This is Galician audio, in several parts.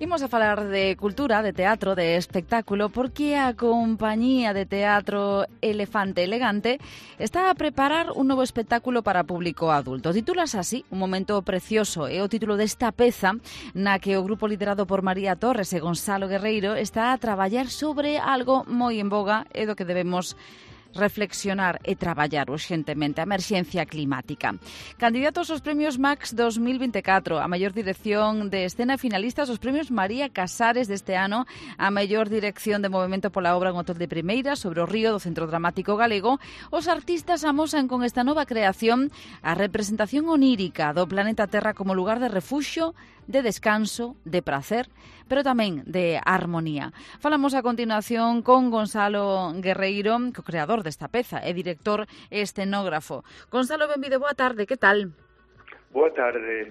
Imos a falar de cultura, de teatro, de espectáculo, porque a compañía de teatro Elefante Elegante está a preparar un novo espectáculo para público adulto. Titúlase así, Un momento precioso, é o título desta peza na que o grupo liderado por María Torres e Gonzalo Guerreiro está a traballar sobre algo moi en voga e do que debemos reflexionar e traballar urgentemente, a emerxencia climática. Candidatos aos premios Max 2024, a maior dirección de escena e finalistas aos premios María Casares deste ano, a maior dirección de movimento pola obra Un hotel de primeira sobre o río do Centro Dramático Galego. Os artistas amosan con esta nova creación a representación onírica do planeta Terra como lugar de refuxio, de descanso, de prazer, pero tamén de armonía. Falamos a continuación con Gonzalo Guerreiro, co-creador desta peza e director e escenógrafo. Gonzalo, benvido, boa tarde, que tal? Boa tarde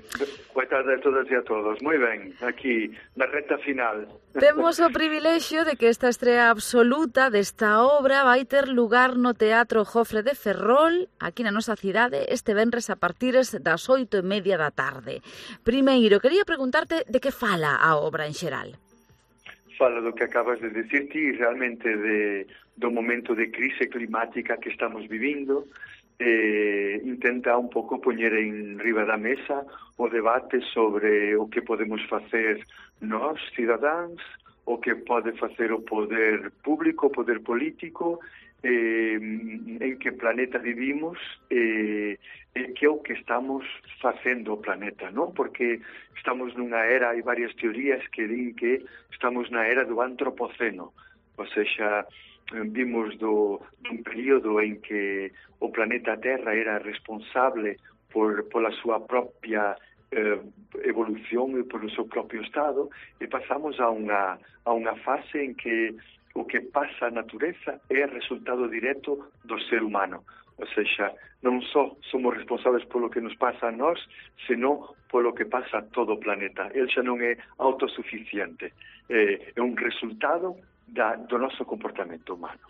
a todas e a todos. Moi ben, aquí na reta final. Temos o privilexio de que esta estrea absoluta desta obra vai ter lugar no Teatro Jofre de Ferrol, aquí na nosa cidade, este venres a partir das 8:30 da tarde. Primeiro, quería preguntarte de que fala a obra en xeral. Fala do que acabas de decir ti, realmente do momento de crise climática que estamos vivindo. Intenta un pouco poñer en riba da mesa o debate sobre o que podemos facer nós, cidadáns, o que pode facer o poder público, o poder político, en que planeta vivimos e que é o que estamos facendo o planeta, non? Porque estamos nunha era, hai varias teorías que din que estamos na era do antropoceno, ou seja, vimos dun período en que o planeta Terra era responsable pola súa propia evolución e polo seu propio estado, e pasamos a unha fase en que o que pasa a natureza é resultado directo do ser humano. Ou seja, non só somos responsables polo que nos pasa a nós, senón polo que pasa a todo o planeta. El xa non é autosuficiente. É un resultado do noso comportamento humano.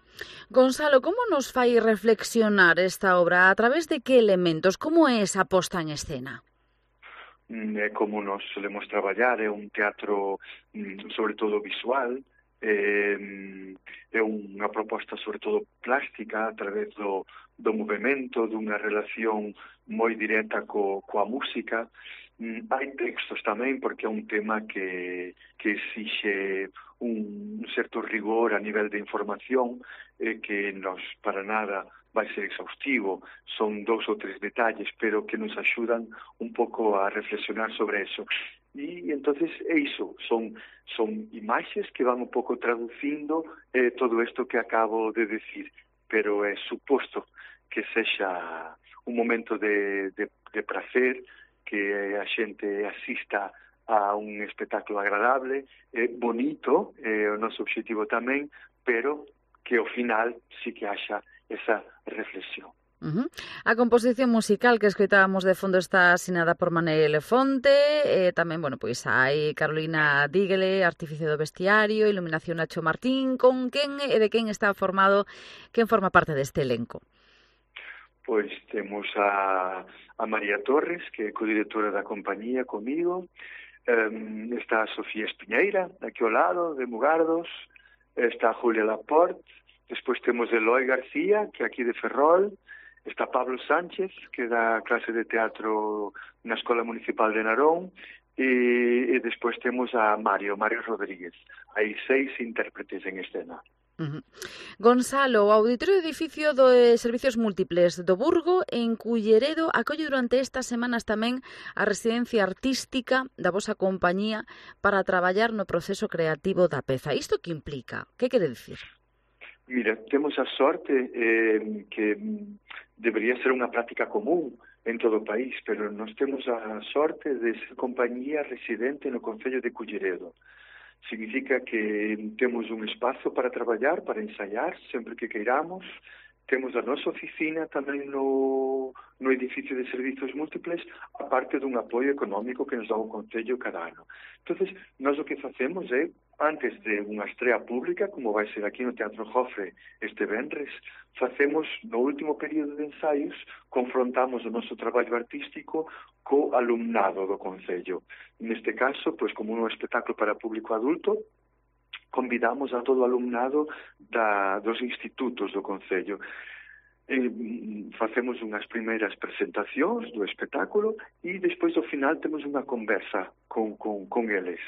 Gonzalo, como nos fai reflexionar esta obra? A través de que elementos? Como é esa posta en escena? É como nos solemos traballar, é un teatro sobre todo visual, é unha proposta sobre todo plástica a través do movimento, dunha relación moi directa coa música. Hai textos tamén, porque é un tema que exixe un certo rigor a nivel de información, que nos para nada vai ser exhaustivo, son 2 ou 3 detalles, pero que nos axudan un pouco a reflexionar sobre eso. E entonces é iso, son imaxes que van un pouco traducindo todo isto que acabo de decir, pero é suposto que sexa un momento de prazer, que a xente asista a un espectáculo agradable, bonito, o noso obxectivo tamén, pero que ao final sí que haxa esa reflexión. A composición musical que escoitábamos de fondo está asinada por Manel Elefonte, tamén, pois hai Carolina Díguele, artificio do vestiario, iluminación Nacho Martín. Con quen e de quen está formado, quen forma parte deste elenco? Pois temos a María Torres, que é codirectora da compañía comigo, está a Sofía Espiñeira, aquí ao lado, de Mugardos, está a Julia Laporte, despois temos Eloi García, que é aquí de Ferrol, está Pablo Sánchez, que dá clase de teatro na Escola Municipal de Narón, e despois temos a Mario Rodríguez. Hai 6 intérpretes en escena. Gonzalo, o Auditorio Edificio de Servicios Múltiples do Burgo en Culleredo acolle durante estas semanas tamén a residencia artística da vosa compañía para traballar no proceso creativo da peza. Isto que implica? Que quere dicir? Mira, temos a sorte que debería ser unha práctica común en todo o país, pero nós temos a sorte de ser compañía residente no Concello de Culleredo. Significa que temos un espazo para traballar, para ensaiar, sempre que queiramos. Temos a nosa oficina tamén no edificio de servicios múltiples, aparte dun apoio económico que nos dá o Concello cada ano. Entonces, nós o que facemos é antes de unha estrea pública, como vai ser aquí no Teatro Jofre este venres, facemos, no último período de ensaios, confrontamos o noso traballo artístico co alumnado do Concello. Neste caso, pois como un espectáculo para público adulto, convidamos a todo o alumnado dos institutos do Concello. Facemos unhas primeiras presentacións do espectáculo e despois ao final temos unha conversa con eles,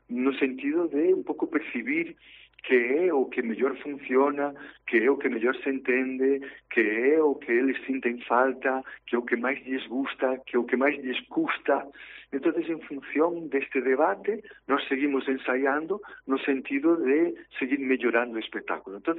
no sentido de un pouco percibir que é o que mellor funciona, que é o que mellor se entende, que é o que eles sinten falta, que é o que máis lles gusta, que é o que máis lles custa. Entón, en función deste debate, nós seguimos ensaiando no sentido de seguir mellorando o espectáculo. Entón,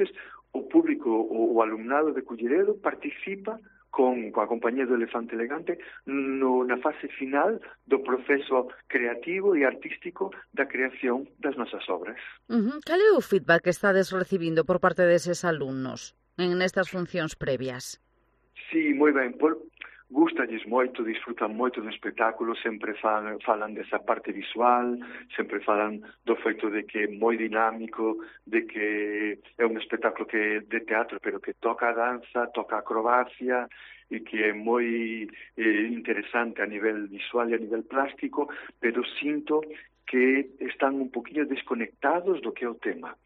o público, o alumnado de Culleredo participa coa compañía do Elefante Elegante na fase final do proceso creativo e artístico da creación das nosas obras. Cal é o feedback que estades recibindo por parte deses alumnos en estas funcións previas? Sí, moi ben. Gústalles moito, disfrutan moito do espectáculo, sempre falan desa parte visual, sempre falan do feito de que é moi dinámico, de que é un espectáculo que é de teatro, pero que toca a danza, toca a acrobacia, e que é moi interesante a nivel visual e a nivel plástico, pero sinto que están un poquinho desconectados do que é o tema.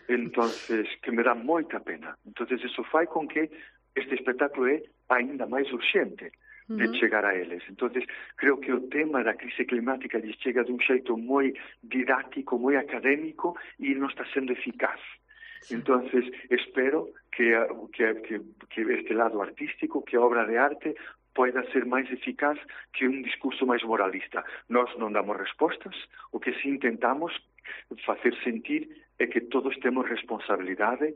Entonces, que me dá moita pena. Entonces, eso fai con que este espectáculo é ainda máis urxente de chegar a eles. Entonces, creo que o tema da crise climática lles chega dun xeito moi didáctico, moi académico e non está sendo eficaz. Entonces, espero que este lado artístico, que a obra de arte, poida ser máis eficaz que un discurso máis moralista. Nós non damos respostas, o que si intentamos facer sentir é que todos temos responsabilidade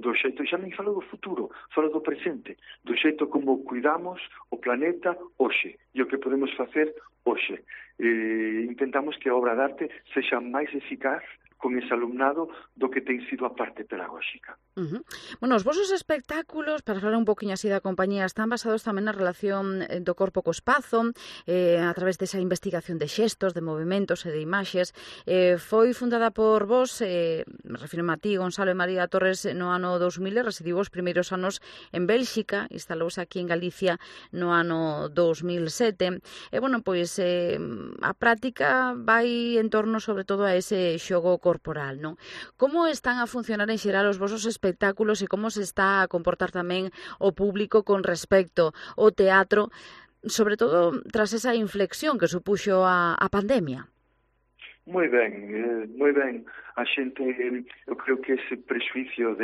do xeito, xa non falo do futuro, falo do presente, do xeito como cuidamos o planeta hoxe e o que podemos facer hoxe. Intentamos que a obra de arte sexa máis eficaz con ese alumnado do que ten sido a parte pedagóxica. Bueno, os vosos espectáculos, para falar un poquinho así da compañía, están basados tamén na relación do corpo co espazo, a través desa investigación de xestos, de movimentos e de imaxes. Foi fundada por vos, me refiro a ti, Gonzalo e María Torres, no ano 2000, residiu os primeiros anos en Bélxica, instalouse aquí en Galicia no ano 2007. E, bueno, pois a práctica vai en torno, sobre todo, a ese xogo corporal, non? Como están a funcionar en xeral os vosos espectáculos e como se está a comportar tamén o público con respecto ao teatro, sobre todo tras esa inflexión que supuxo a pandemia? Moi ben. A xente, eu creo que ese prexuicio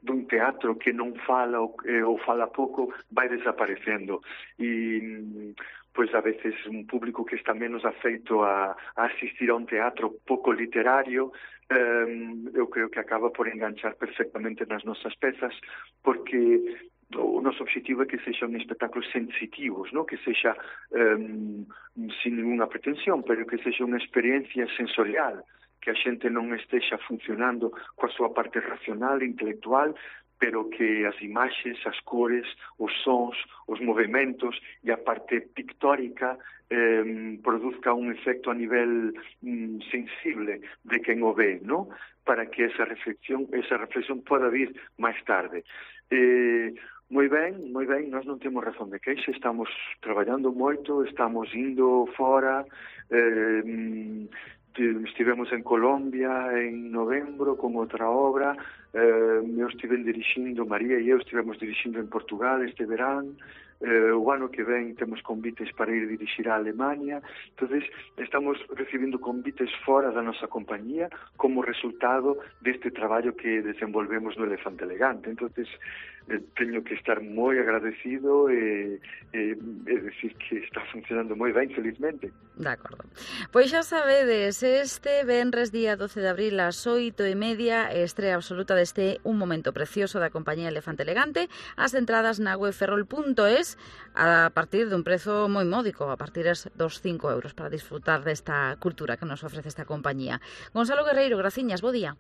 dun teatro que non fala ou fala pouco vai desaparecendo. E pois a veces un público que está menos afeito a asistir a un teatro pouco literario, eu creo que acaba por enganchar perfectamente nas nosas pezas, porque o noso objetivo é que sexan espectáculos sensitivos, no? Que sexa sin ninguna pretensión, pero que sexa unha experiencia sensorial, que a xente non estexa funcionando coa súa parte racional e intelectual, pero que as imaxes, as cores, os sons, os movimentos e a parte pictórica produzca un efecto a nivel sensible de quen o ve, ¿no? Para que esa reflexión poda vir máis tarde. Moi ben, nós non temos razón de queixa, estamos traballando moito, estamos indo fora, estivemos en Colombia en novembro con outra obra, eu estive dirixindo, María e eu estivemos dirixindo en Portugal este verán, o ano que ven temos convites para ir dirixir a Alemania, entonces estamos recibindo convites fora da nosa compañía como resultado deste traballo que desenvolvemos no Elefante Elegante. Entonces teño que estar moi agradecido e decir que está funcionando moi ben, felizmente. De acordo. Pois xa sabedes, este venres día 12 de abril ás 8:30, estrea absoluta deste Un momento precioso da compañía Elefante Elegante. As entradas na web ferrol.es a partir dun prezo moi módico, a partir dos 5 euros, para disfrutar desta cultura que nos ofrece esta compañía. Gonzalo Guerreiro, graciñas, bo día.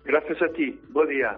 Gracias a ti, bo día.